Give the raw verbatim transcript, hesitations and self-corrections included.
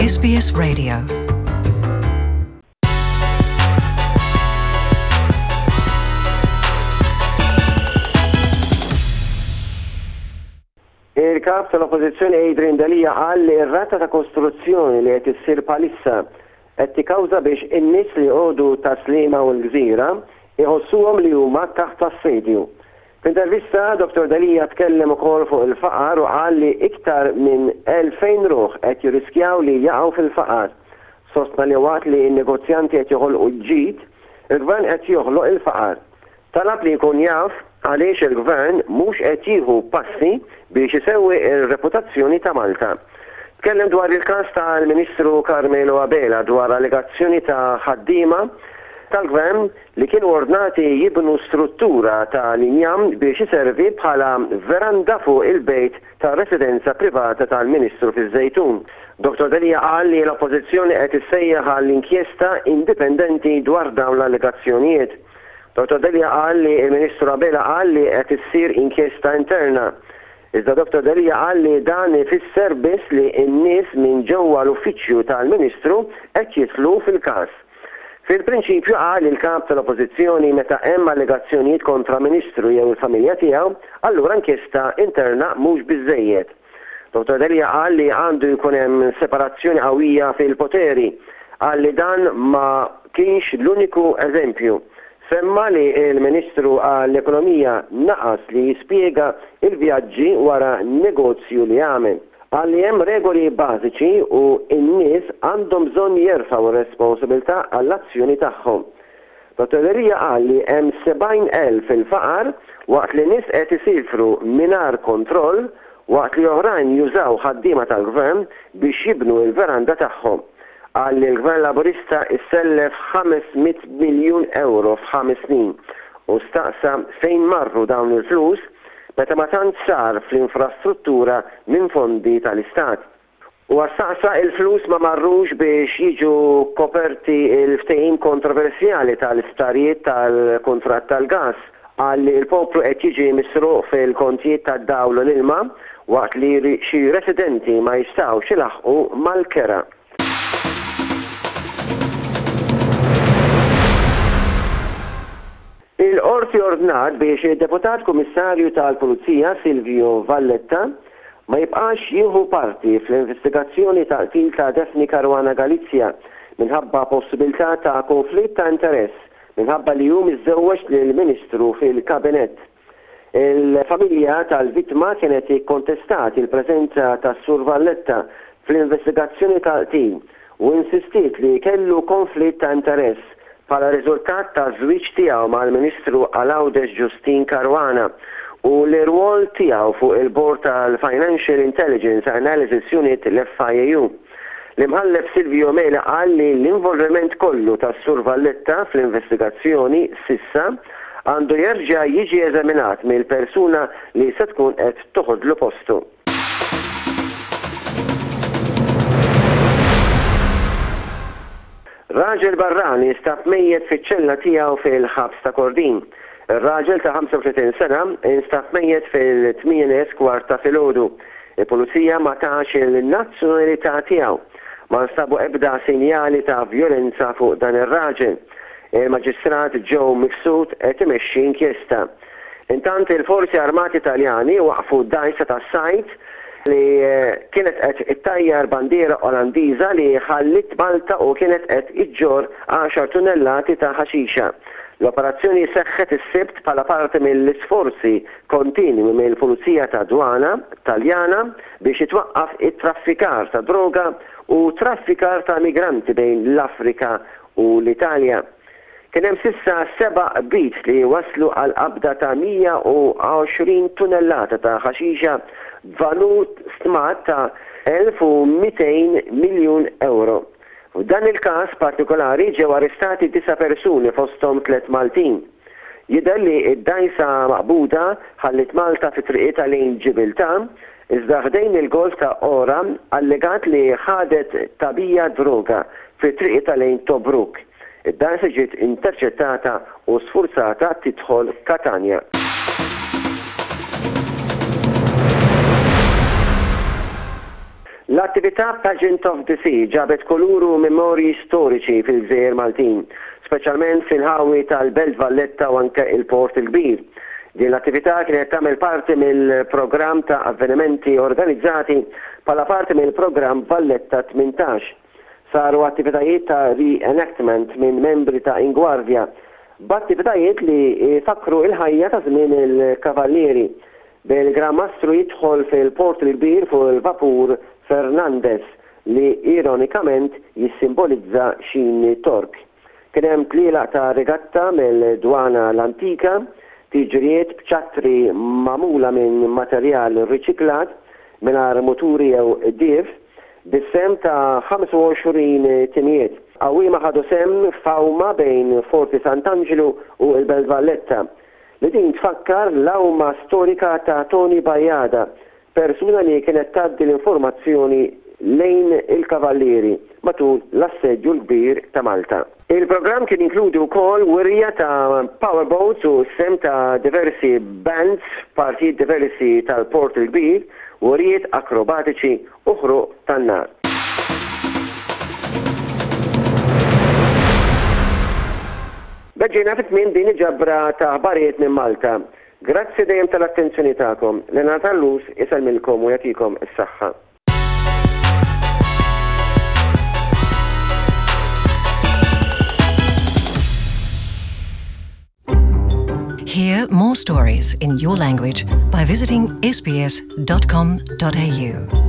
S B S Radio. Il-kap tal-Oppożizzjoni Adrian Delia qal li r-rata ta' kostruzzjoni li qed issir bħalissa qed tikkawża biex in-nies li joqogħdu Tas-Sliema u l-Gżira iħossuhom li huma taħt assedju. F'intervista, Dottor Delia tkellem ukoll fuq il-faqar u qal li iktar minn elfejn ruħ qed jirriskjaw li jaqgħu fil-faqar. Sostna li waqt li n-negozjanti qed joħolqu ġid, il-gvern qed joħloq il-faqar. Talab li jkun jaf għaliex il-gvern mhux qed jieħu passi biex isewwi r-reputazzjoni ta' Malta. Tkellem dwar il-każ tal-Ministru Carmelo Abela dwar allegazzjoni ta' ħaddiema tal-gvern li kienu ordnati jibnu struttura ta' l-injam biex iservi bħala veranda fuq il-bejt ta' residenza privata tal-Ministru fiż-Żejtun. Dottor Delia qal li l-Oppożizzjoni qed issejjaħ għal inkjesta indipendenti dwar dawn l-allegazzjonijiet. Dottor Delia qal li l-Ministru Abela qal li qed issir inkjesta interna. Iżda Dottor Delia qal li dan ifisser biss li n-nies minn ġewwa l-uffiċċju tal-Ministru qed jidħlu fil-każ. Fil-prinċipju, qal il-kap tal-Oppożizzjoni, meta hemm allegazzjonijiet kontra Ministru jew il-familja tiegħu, allura inkjesta interna mhux biżejjed. Dottor Delia qal li għandu jkun hemm separazzjoni qawwija fil-poteri. Qal li dan ma kienx l-uniku eżempju. Semma li l-Ministru għall-Ekonomija naqas li jispjega il-vjaġġi wara negozju li għamel. Qal li hemm regoli bażiċi u n-nies għandhom bżonn jerfgħu r-responsabilità għall-azzjoni tagħhom. Dottor Delia qal li hemm sebgħin elf fil-faqar waqt li nies qed isifru mingħajr kontroll waqt li oħrajn jużaw ħaddiema tal-gvern biex jibnu l-veranda tagħhom. Qal li l-Gvern Laburista issellef ħames mitt miljun euro f'ħames snin u staqsa fejn marru dawn il-flus meta ma tant sar fl-infrastruttura minn fondi tal-Istat. U staqsa il-flus ma marrux biex jiġu koperti il-ftehim kontroversjali tal-isptarijiet tal-kuntratt tal-gas. Qal li l-poplu qed jiġi misruq fil-kontijiet tad-dawl u l-ilma waqt li xi residenti ma jistgħux ilaħħqu mal-kera. Il-Qorti ordnat biex id-Deputat Kummissarju tal-Pulizija Silvio Valletta ma jibqax jieħu parti fl-investigazzjoni tal-qtil ta' Daphne Caruana Galizia minħabba possibilità ta' konflitt ta' interess minħabba li hu miżżewweġ lill-Ministru fil-Kabinett. Il-familja tal-vittma kienet ikkontestat il-preżenza tas-Sur Valletta fl-investigazzjoni tal-qtil u insistiet li kellu konflitt ta' interess bħala riżultat ta' żwieġ tiegħu mal-Ministru għal Għawdex Justyne Caruana u l-irwol tiegħu fuq il-bord tal-Financial Intelligence Analysis Unit, l-F I A U. L-imħallef Silvio Mela qal li l-involviment kollu tas-Sur Valletta fl-investigazzjoni s'issa għandu jerġa' jiġi eżaminat mill-persuna li se tkun qed toħodlu postu. Raġel barrani instab mejjet fiċ-ċella tiegħu fil-ħabs ta' Kordin. Ir-raġel ta' ħamsa u tletin sena instab mejjet fil-tmienja kwart ta' filgħodu. Il-pulizija ma tax il-nazzjonalità tiegħu. Ma nstabu ebda sinjali ta' vjolenza fuq dan ir-raġel. Il-Maġistrat Joe Mifsud qed imexxi inkjesta. Intant, il-Forzi Armati Taljani waqfu dgħajsa tas-sajd li kienet qed ittajjar bandiera Olandiża li ħallit Malta u kienet qed iġġor għaxar tunnellati ta' ħaxixa. L-operazzjoni seħħet is-Sibt bħala parti mill-isforzi kontinwi mill-Pulizija ta' Dwana Taljana biex jitwaqqaf it-traffikar ta' droga u traffikar ta' migranti bejn l-Afrika u l-Italja. Kien hemm s'issa seba' qbid li waslu għal qabda ta' mija u għoxrin tunnellata ta' ħaxixa b'valur stmat ta' elf u mitejn miljun euro. F'dan il-każ partikolari ġew arrestati disa' persuni, fosthom tliet Maltin. Jidher li id-dgħajsa maqbuda ħallit Malta fi triqitha lejn Ġibiltà, iżda ħdejn il-Golf ta' Ora allegat li ħadet tagħbija droga fi triqitha lejn Tobruk. Id-dgħajsa ġiet interċettata u sfurzata tidħol Katanja. L-attività Pageant of the Sea ġabet kulur u memorji storiċi fil-Gżejjer Maltin, speċjalment fl-inħawi tal-Belt Valletta u anke il-Port il-Kbir. Din l-attività kienet tagħmel parti mill-programm ta' avvenimenti organizzati bħala parti mill-programm Valletta tmintax. Saru attivitajiet ta' reenactment minn membri ta' Inguardia, b'attivitajiet li fakru il-ħajja ta' żmien il-Kavallieri, bil-Gran Mastru jidħol fil-Port il-Kbir fuq il-vapur Fernandez li ironikament jissimbolizza xini Tork. Kien hemm tlielaq ta' regatta mill-Dwana l-Antika, tiġrijiet b'ċattri magħmula minn materjal riċiklat mingħajr muturi jew qdif, bis-sehem ta' ħamsa u għoxrin timijiet. Għawwiema ħadu sehem f'għawma bejn Forti Sant'Angelo u l-Belt Valletta, li din tfakkar l-għawma storika ta' Tony Bajada, persuna li kienet tgħaddi l-informazzjoni lejn il-kavallieri matul l-Assedju l-Kbir ta' Malta. Il-programm kien inkludi wkoll wirja ta' powerboats u sehem ta' diversi bands f'partijiet diversi tal-Port il-Kbir, wirjiet akrobatiċi u ħruq tan-nar. B'hekk ġejna fi tmiem din il-ġabra ta' aħbarijiet minn Malta. Grazzi dejjem tal-attenzjoni tagħkom. Leonard Allus isellmilkom u jagħtikom is-saħħa. Hear more stories in your language by visiting S B S dot com dot A U.